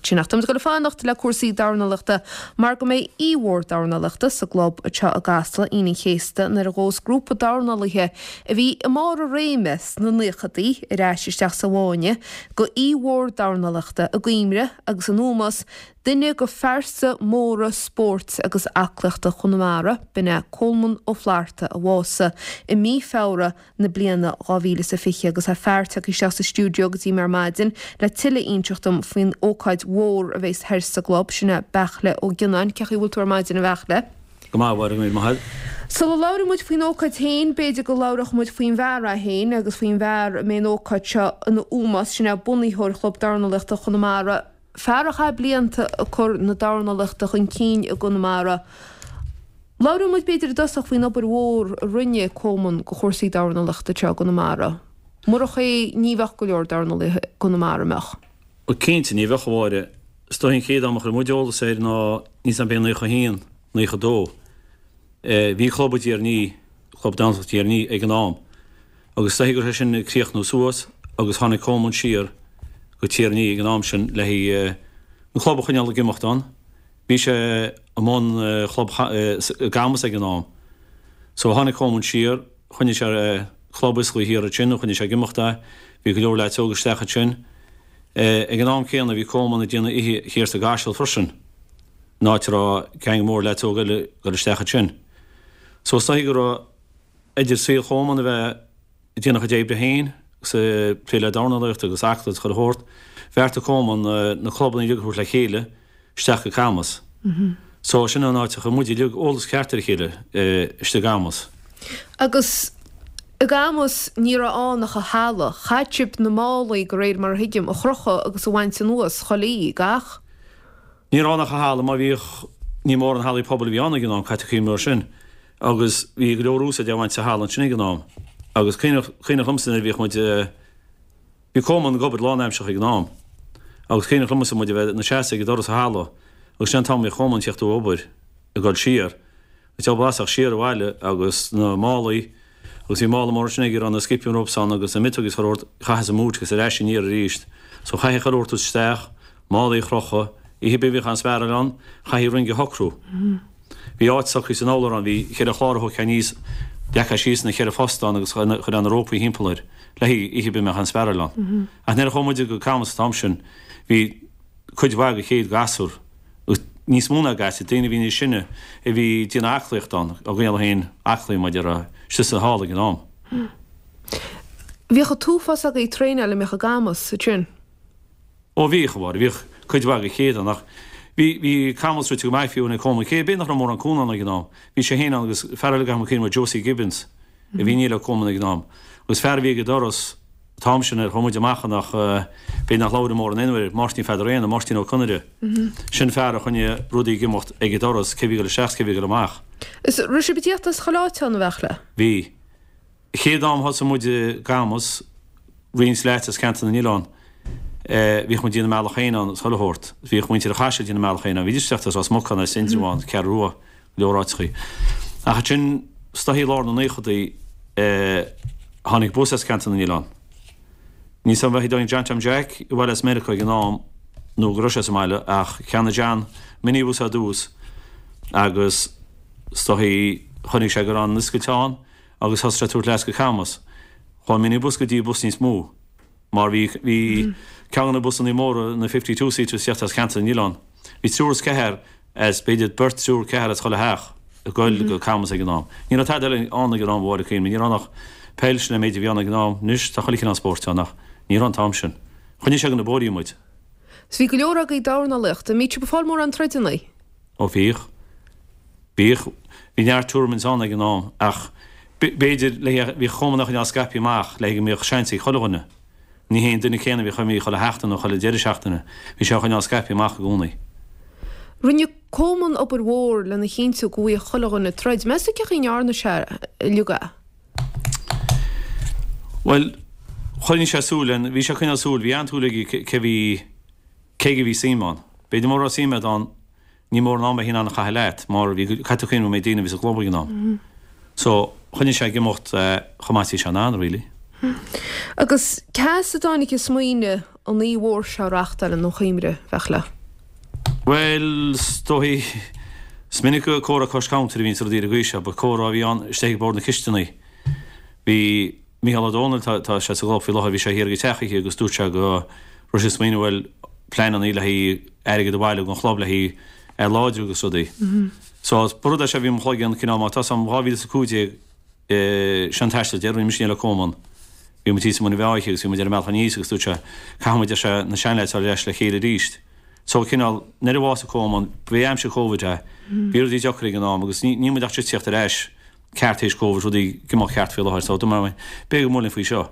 ansin. Ach táimid ag dul a fanacht le cúrsaí dornálaíochta mar go mbeidh oíche mhór dornálaíochta sa gclub anseo i gCasla Aoine an Chéasta nuair a ghabhfas grúpa dornálaithe a bhí i mbarr a réime sna naochadaí ar ais isteach sa bhfáinne go oíche mhór dornálaíochta i gcuimhne agus in ómós duine go phearsa móra spóirt agus aclaíochta Chonamara, b'in é Colman Ó Flatharta a bhásaigh i mí Feabhra na bliana 2020 agus tá fear tagtha isteach sa stiúideo go dtí mé ar maidin le tuilleadh a inseacht dom faoin ócáid mhór a bheas thoir sa gclub, sin é Beairtle Ó Gionnáin. Cén chaoi a bhfuil tú ar maidin a Bheairtle? Go maith, a Mháire, go raibh míle maith agat. Sula labhraíonn muid faoin ócáid féin, b'fhéidir go labhródh muid faoin bhfear é féin agus faoin bhfear a mbeidh an ócáid seo ina ómós, sin é bunaitheoir Chlub Dornálaíochta Chonamara, Fear a chaith blianta ag cur na dornálaíochta chun cinn i gConamara. Labhróidh muid b'fhéidir i dtosach faoin obair mhór a rinne Colman go chúrsaí dornálaíochta anseo i gConamara. Murach é ní bheadh go leor dornálaithe i gConamara, an mbeadh? Bhuel cinnte, ní bheadh, a Mháire. Is dóigh an chéad am a chuir muid eolas air ná níos ná b'fhéidir 91, 92. Bhí club i dTír an Fhia, Club Dornálaíochta Thír an Fhia ag an am. Agus is dóichí go raibh sé sin ag críochnú suas agus tháinig Colman siar go Tír an Fhia ag an am sin le haghaidh an club a choinneáil ag imeacht ann. Bhí sé i mbun chlub i gCamus ag an am. So tháinig Colman siar, choinnigh sé club oscailte thiar ansin, choinnigh sé ag imeacht é. Bhí go leor leaids óga isteach ansin. Ag an am céanna bhí Colman ag déanamh oíche thiar sa gCaiseal freisin, in áit a raibh gang mór leaids óga eile ag dul isteach ansin. So is dóichí go raibh idir saol Cholman a bheith ag déanamh a chuid oibre féin agus ag plé le dornálaíocht agus aclaíocht agus chuile shórt, bheartaigh Colman na clubanna uilig a thabhairt le chéile isteach go Camus. So sin an áit a chuir muid uilig eolas ceart ar a chéile, istigh i gCamus. Agus i gCamus ní raibh ann ach an halla. Chaith sibh na málaí, de réir mar a thuigim, a chrochadh agus a bhaint anuas chuile oíche, gach. Ní raibh ann ach an halla, mar bhíodh, ní mórán hallaí pobail a bhí ann ag an am, caithfidh tú cuimhneamh air sin. Agus bhí go leor úsáid á bhaint as an halla ansin ag an am. Agus cuimhneach, cuimhneach liomsa nuair a bhíodh muid, bhí Colman ag obair lánaimseartha ag an am. Agus cuimhneach liomsa muid a bheith ina seasamh ag doras an halla agus sin an t-am a bhíodh Colman ag teacht ó obair ag dul siar. Ag blasach siar abhaile agus na málaí agus bhí mála mór ansin aige a raibh na skipping ropes ann agus na miotógaí is chuile shórt, chaith sa mboot agus ar ais aniar arís. So chaithfí chuile shórt isteach, málaí a chrochadh, oíche ar bith a bhíodh an-spáráil ann, chaithfí ringe a shocrú. Bhí áit socraithe san urlár ann, bhí cheithre chlár a thógfá aníos, leagfá síos na cheithre phost ann agus chuirfeá na rópaí thimpeall air, le haghaidh oíche ar bith a mbeadh an-spáráil ann. Ach nuair a chuaigh muid go Camus an t-am sin, bhí cuid mhaith de chéad ghasúr, agus níos mó ná gasúir, daoine a bhí níos sine, a bhí ag déanamh aclaíocht ann, á gcoinneáil féin aclaí mar a déarfá, istigh sa halla ag an am. Bhíodh an t-uafás agaibh ag traenáil a mbíodh i gCamus ansin. Ó bhíodh, a Mháire, bhíodh cuid mhaith de chéad ann, ach bhí, bhí Camus rite go maith fiú ag Colman, cé b'fhéidir nach raibh mórán cúnamh ann ag an am. Bhí sé féin ann agus fear eile go cuimhin liom, Josie Gibbons, a bhí ní le Colman ag an am. Agus fear a bhí ag an doras, an t-am sin ar chuaigh muid amach ann ach b'fhéidir nach labhair mórán aon uair, Máirtín Pheadair Éanna, Máirtín Ó Conaire. Sin fear a choinnigh rudaí ag imeacht ag an doras, cé bhí ag dul isteach 's cé bhí ag dul amach. Is raibh sibh ag tíocht as chuile áit ann, a Bheairtle? Bhí. Chéad am thosaigh muid i gCamus, roinnt leaids as Ceantar na nOileán, bhíodh muid ag déanamh a mbealach féin ann is chuile shórt. Bhíodh muintir an Chaisil ag déanamh a mbealach féin ann. Bhídís ag teacht as Ros Muc ann, as Indreabhán, Ceathrú Rua, go leor áiteachaí. Ach ansin, is dóichí i lár na naochadaí, tháinig bus as Ceantar na nOileán. Níl 's a'm an bhfuil John Tom Jack abhaile as Meiriceá ag an am nó go raibh sé sa mbaile ach cheannaigh John minibus ar dtús agus is dóichí chonaic sé go raibh an scoiteán agus thosaigh sé ag tabhairt leaids go Camus. Chuaigh an minibus go dtí bus níos mó mar bhí bhí ceann de na busannaí móra, na 52 seaters ag teacht as Ceantar na nOileán. Bhí triúr is ceathair as b'fhéidir beirt, triúr, ceathair as chuile theach ag goil go Camus ag an am. Ní raibh tada eile ann ag an am, a Mháire, cuimhnigh, ní raibh ann ach peil, sin an méid a bhí ann ag an am. Anois tá chuile chineál spóirt ann ach ní raibh an t-am sin. Choinnigh sé go na bóithrí muid. 'S bhí go leor agaibh ag dornálaíocht. An mbíodh sibh ag fáil mórán troideanna? Ó bhíodh. Bhíodh. Bhí neart tournaments ann ag an am ach b'fhéidir le bhíodh Colman á choinneáil scaipthe amach le go mbeadh seans ag chuile dhuine. Ní hé an duine céanna a bhíodh imithe chuile sheachtain nó chuile deireadh seachtaine. Bhí sé á choinneáil scaipthe amach i gcónaí. Rinne Colman obair mhór lena chinntiú go bhfaigheadh chuile dhuine troid. Meas tú cén chaoi a ndearna sé uilig é? Bhuel, choinnigh sé súil, bhí sé ag coinneáil súil, bhí an-tsúil aige cé bhí, cé aige a bhí suim ann. B'fhéidir mura raibh suim agat ann, ní mór an am a bheith in ann a chaitheamh leat mar bhí, caithfidh tú cuimhneamh an méid daoine a bhí sa gclub ag an am. So, choinnigh sé ag imeacht chomh maith is bhí sé in ann, really. Agus cá as a dtáinig an smaoineamh an oíche mhór seo a reachtáil ina chuimhne, a Bheairtle? Bhuel, is dóichí, is minic gur comhrá cois counter a bhíonns rudaí ar an gcaoi seo, but comhrá a bhí ann istigh ag bord na cisteanaí. Bhí Mícheál Ó Domhnaill, tá, tá sé sa gclub faoi láthair, bhí sé thiar ag an teach oíche agus dúirt sé go raibh sé ag smaoineamh bhuel, pleanannaí le haghaidh airgead a bhailiú don chlub le haghaidh é a láidriú agus rudaí. So, ba rud é seo a bhí i mo chloigeann cineál má tá 'fhios a'm 2015, Sin an taisteal deiridh a rinne mise le Coleman. Bhí muid thíos i mBun an Mheá oíche agus bhí muid ar an mbealach aníos agus dúirt sé, caithfidh muid, ar sé, na seanleaids a fháil ar ais le chéile arís. So, cineál, nuair a bhásaigh Coleman, bhí aimsir Covid é, bhí rudaí deacair ag an am agus ní, níl muid ach just tíocht ar ais ceart théis Covid, rudaí ag imeacht ceart faoi láthair. So, dúirt mé, b'fhéidir go mbuailfinn faoi seo.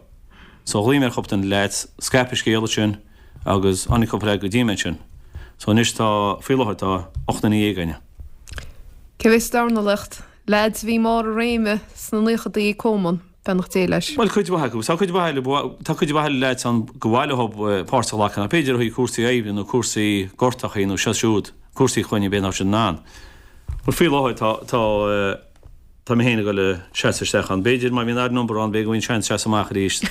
So, ghlaoigh mé ar chúpla de na leaids, scaipeadh scéal ansin agus tháinig cúpla leaid go dtí mé ansin. So, anois tá, faoi láthair tá 18 duine againne. Cé bheas sa dornálaíocht? Leaids a bhí i mbarr a réime sna naochadaí ag Coleman, beannacht Dé leis. Bhuel, cuid mhaith acu. Tá cuid mhaith eile, tá cuid mhaith eile leaids ann gur mhaith leo páirt a ghlacadh, ach b'fhéidir ó thaobh cúrsaí oibre nó cúrsaí gortachaí nó seo siúd, cúrsaí clainne, b'fhéidir nach raibh siad in ann. But faoi láthair tá, tá, tá mé féin ag dul a seasamh isteach ann. B'fhéidir má bhíonn odd number ann, b'fhéidir go bhfaighinn seans seasamh amach arís.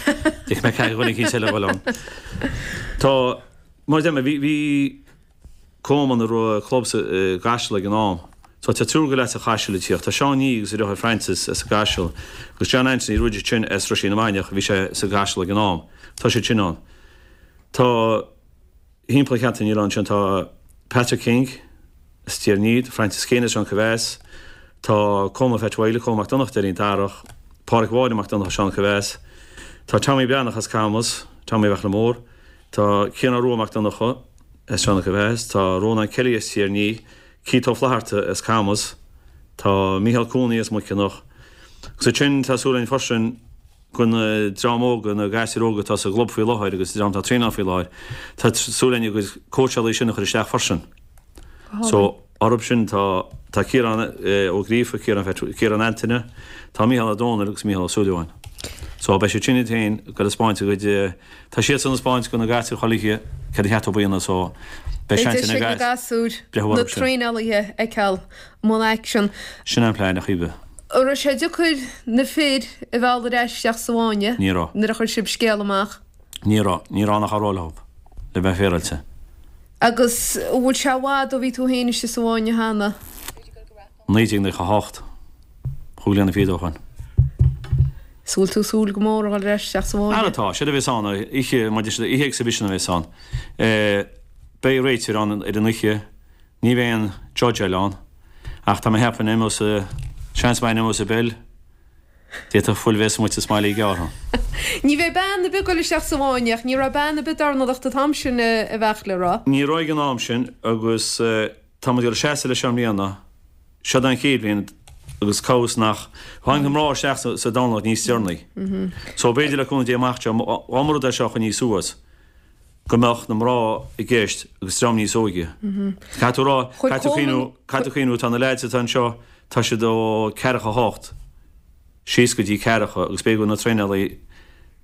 D'fhéadfadh mé caithfidh dhuine eicínt eile a dhul ann. Tá, mar a deir mé, bhí, bhí, Coleman a raibh club sa gCaiseal ag an am. So tá triúr go leaids as an Chaiseal ag tíocht. Tá Seán Nee agus a dheartháir Francis as an gCaiseal agus John Anthony Roger sin as Ruisín na Mainiach bhí sé sa gCaiseal ag an am. Tá siad sin ann. Tá thimpeall an cheantar níl ann sin tá Patrick King as Tír an Fhia, Francis Keane as Sean Caibheas, tá Colman Phatch Wylie, Colman Mac Donncha déarfainn Darach, Pádraic Mháire Mac Donncha Sean Caibheas, tá Tommy Breathnach as Camas, Tommy Bheachla Mór, Tá Ciarán Rua Mac Donncha as Seancha Mheas, tá Rónán Kelly as Tír an Fhia, Keith Ó Flatharta as Camas, tá Mícheál Cooney as Muiceanach. Agus ansin tá súil againn freisin go na dream óga, na gasúir óga atá sa gclub faoi láthair agus an dream atá ag traenáil faoi láthair, tá súil againn a gcuid cóitseálaí sin a chur isteach freisin. So, orthu sin tá tá Ciarán Ó Gríofa, Ciarán Ciarán Antaine, tá Mícheál Ó Dónaill agus Mícheál Ó Súilleabháin. So, beidh siad sin iad féin ag dul a 'spáint a gcuid, tá siadsan ag 'spáint go na gasúir chuile oíche céard a cheart dóibh a dhéanamh so beidh seans ag na gasúir na traenálaithe a fheiceáil i mbun aicsean. Sin an plean, a Chaoimhe. An raibh sé deacair na fir a mhealladh ar ais isteach sa bhfáinne Ní raibh. nuair a chuir sibh scéal amach? Ní raibh. Ní raibh ann ach a rá leo, le bheith féaráilte. Agus an bhfuil sé i bhfad ó bhí tú féin istigh sa bhfáinne cheana? 1998, chúig bliana fichead ó shoin. Is bhfuil tú ag súil go mór a dhul ar ais isteach sa bhfáinne? Ara tá, séard a bheas ann, oíche, mar deir siad, oíche exhibition a bheas ann. Beidh réiteoir ann ar an oíche, ní bheidh aon judge eile ann, ach tá mé ag ceapadh an imeos, seans maith an imeos an bell, D'fhéadfadh fuil bheith smuite is mailí gearrtha. Ní bheidh bean ar bith ag dul isteach sa bhfáinne ach ní raibh bean ar bith dornálaíocht an t-am sin a Bheachla, raibh? Ní raibh ag an am sin agus tá muid ag dul seasamh leis seo i mbliana. Seod an chéad bhliain agus cá bhfios nach tháinig na mná isteach sa dornálaíocht níos deireanaí. So b'fhéidir le cúnamh Dé amach anseo, dá mba rud é seo a choinnigh suas, go mbeadh na mná i gceist agus dream níos óige. Caithfidh tú a rá, caithfidh tú cuimhniú, caithfidh tú cuimhniú, tá na leaids atá anseo, tá siad ó ceathracha hocht síos go dtí ceathracha agus b'fhéidir go bhfuil na traenálaí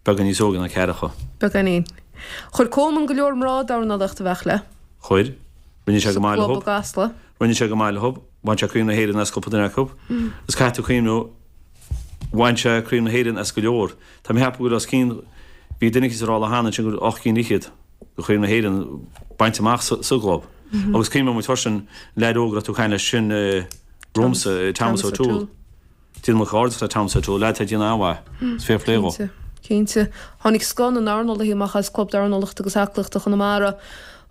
beagán níos óige ná ceathracha. Beagáinín. Chuir Coleman go leor mná dornálaíocht a Bheachla. Chuir. Rinne sé go maith leo. Sa gclub i gCasla. Rinne sé go maith leo. Bhain sé Craobh na hÉireann as cúpla duine acu. Agus caithfidh tú cuimhniú, bhain sé Craobh na hÉireann as go leor. Tá mé ag ceapadh go bhfuil os cionn, bhí duine eicínt ag rá lá cheana ansin go bhfuil 8 gcinn fhichead de Chraobh na hÉireann bainte amach sa gclub. Agus cuimhneoidh muid freisin, leaid óg a raibh tú ag caint leis sin romhamsa, Thomas O'Toole. Déanaim comhghairdeas le Thomas O'Toole, leaid atá ag déanamh an-mhaith. Is fair play dhó. Cinnte, cinnte. Tháinig scoth na ndornálaithe amach as Club Dornálaíochta agus Aclaíochta Chonamara.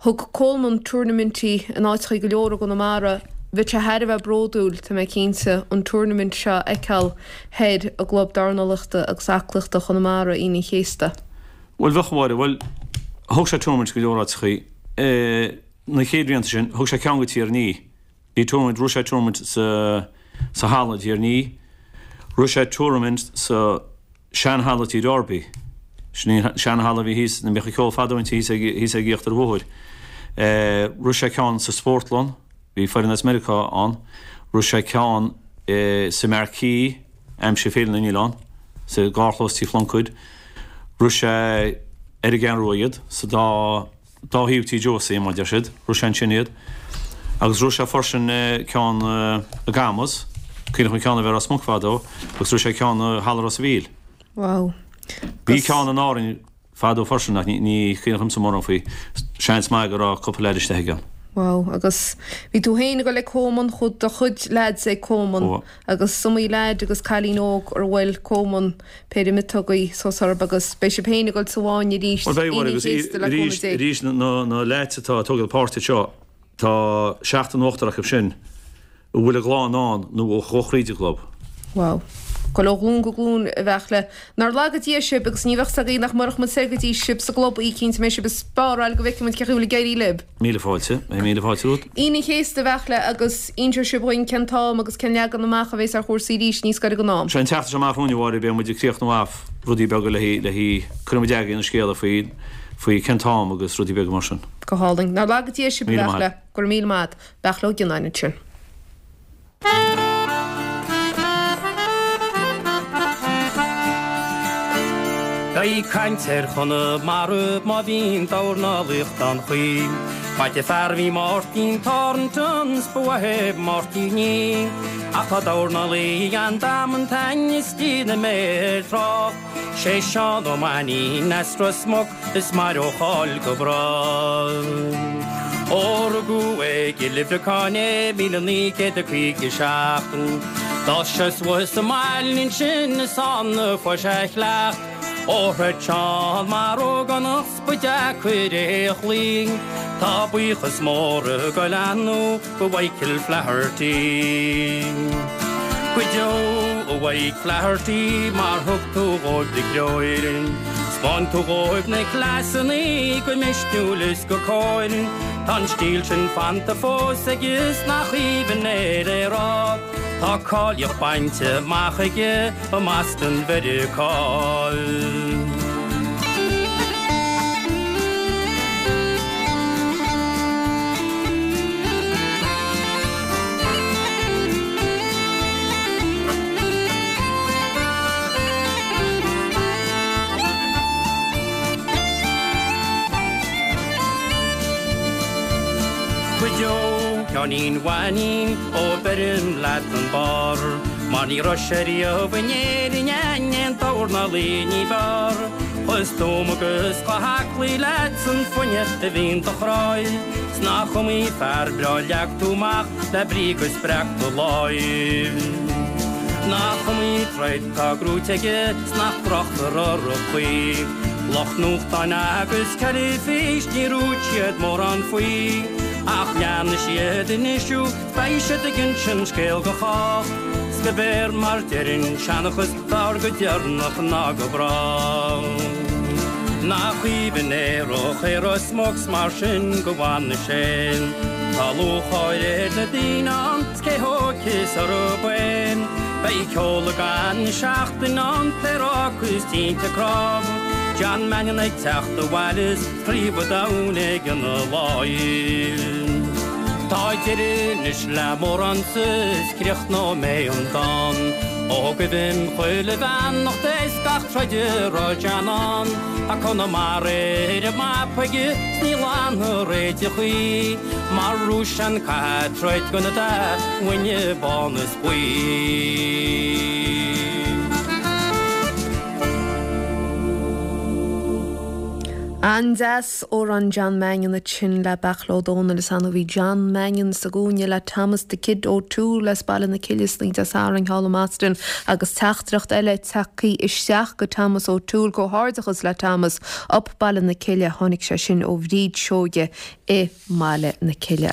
Thug Coleman tuairnaimintí in áiteachaí go leor i gConamara. Bheadh sé thar a bheith bródúil, tá mé cinnte, an tuairnaimint seo a fheiceáil thoir i gClub Dornálaíochta agus Aclaíochta Chonamara Aoine an Chéasta. Bhuel, bheadh, a Mháire. Bhuel, thug sé tuairnaimint go leor áiteachaí. Na chéad bhlianta sin, thug sé ceann go Tír an Fhia. Bhí tuairnaimint, rith sé tuairnaimint sa, sa halla i dTír an Fhia. Rith sé tuairnaimint sa. sean-halla Tí Darby. Sin í an sean-halla a bhí thíos, ina mbíodh an ceol fadó inti thíos ag, thíos ag íochtar an bhóthair. Rith sé ceann sa spórtlann, bhí foireann as Meiriceá ann. Rith sé ceann sa Marquee, aimsir Féile na nOileán, sa gcarrchlós Tí Phluincéid. Rith sé ar an gCeathrú Rua iad, sa dá, dá thaobh Tí Josie, mar a deir siad. Rith sé ansin iad. Agus rith sé freisin ceann i gCamus, cuimhneach an ceann a bhí i Ros Muc fadó, agus rith sé ceann i Halla Ros a' Mhíl. Wow. Bhí ceann in Árainn fadó freisin ach ní, ní cuimhneach liomsa mórán faoi. Seans maith go raibh cúpla leaid istigh aige. Wow, agus bhí tú féin ag dul ag Coman, chuaigh do chuid leaids ag Coman agus is iomaí leaid agus cailín óg ar bhuail Coman péire miotógaí suas orthu agus beidh sibh féin ag dul sa bhfáinne arís Bhuel beidh, Aoine an agus Chéasta le cúnamh Dé. arís na leaids atá ag tógáil páirt anseo, tá seachtar nó ochtar acu sin a bhfuil a gclann ann nó ó thríd an gclub. Wow. Ag dul ó ghlúin go glúin a Bheairtle. Nár laga Dia sibh agus ní bheadh 's againn ach murach muid soir go dtí sibh sa gclub oíche eicínt a mbeidh sibh ag speáráil go bhfeicfidh muid cén chaoi a bhfuil ag éirí libh. Míle fáilte. Míle fáilte romhat. Aoine an Chéasta a Bheairtle agus inseoidh sibh dhuinn cén t-am agus cén leagan amach a bhéas ar chúrsaí arís níos gaire don am. Sé an tseachtain seo amach romhainn a Mháire beidh muid ag críochnú off rudaí beaga le haghaidh, cuirfidh muid againn an scéala faoi faoi cén t-am agus rudaí beaga mar sin. Go hálainn. Nár laga Dia sibh a Bheairtle. Go raibh míle maith a't. Beairtle Ó Gionnáin ansin. Beidh caint ar Chonamara má bhíonn dornálaíocht ann choíche. Maith an fear a bhí Máirtín Thornton 's ba mhaith é Máirtín í. Ach tá dornálaí an-damanta is déanfaidh mé air trácht. Sé Seán Ó Mainnín as Ros Muc is mairfidh a cháil go bráth. Ó rugadh i gCill Uimhreacáin é 1957. D'fhás sé suas sa mbaile ansin is ann a fuair sé a chleacht. Ó throid Seán mar ógánach 's ba deacair é a chloí. Tá buíochas mór ag goil ann go Mhichael Flaherty. Go deo, a Mhike Flaherty, mar thug tú dhóibh do threoir. 'Spáin tú dhóibh na cleasannaí go misniúil is go cóir. Tá an stíl sin fanta fós aige 's nach aoibhinn é le rá. Tá cáilíocht bainte amach aige i mBoston Mheiriceá. Go deo, Sheáinín Mhainín, ó beirim leat an barr, mar ní raibh sé riamh in Éirinn aon dornálaí ní b'fhearr. Chomh stuama agus chomh haclaí leat san fuinneamh a bhí in do chroí, 's nach iomaí fear breá leag tú amach le brí go spreag do láimh. Nach iomaí troid tá gnóite aige 's nach dtráchtar orthu choíche. Lucht nuachtáin agus teilifís ní dúirt siad mórán faoi. Ach leanfaidh siad anois thú, beidh siad ag insint scéil go chách. 'S go b'fhearr mar deir an seanchas b'fhearr go deireanach ná go bráth. Nach aoibhinn é é Ros Muc 's mar sin go bhfana sé. Tá lúcháir ar na daoine ann 's cé thógfas orthu é. Beidh ceol ag an seachtain ann, pléaráca is tinte cnámh. John Mannion ag teacht abhaile 's Craobh an Domhain aige ina láimh. Tá deireadh anois le m'amhránsa is críochnóidh mé an dán. Ó gabhaim chuile bheannacht is gach troid a raibh John ann. Tá Conamara ar an mapa aige 's ní leanfar é de choíche. Mar Rúisean caithfidh troid don dá mhuine bán is buí. An-deas, amhrán John Mannion ansin le Beairtle Ó Domhnaill is annamh bhí John Mannion sa gcúinne le Thomas 'The Kid' O'Toole as Baile na Cille san oíche Dé Sathairn thall i mBoston agus teachtaireacht eile tagtha isteach go Thomas O'Toole, Comhghairdeachas le Thomas up Baile na Cille, tháinig sé sin ó Bhríd Seoige i mBaile na Cille.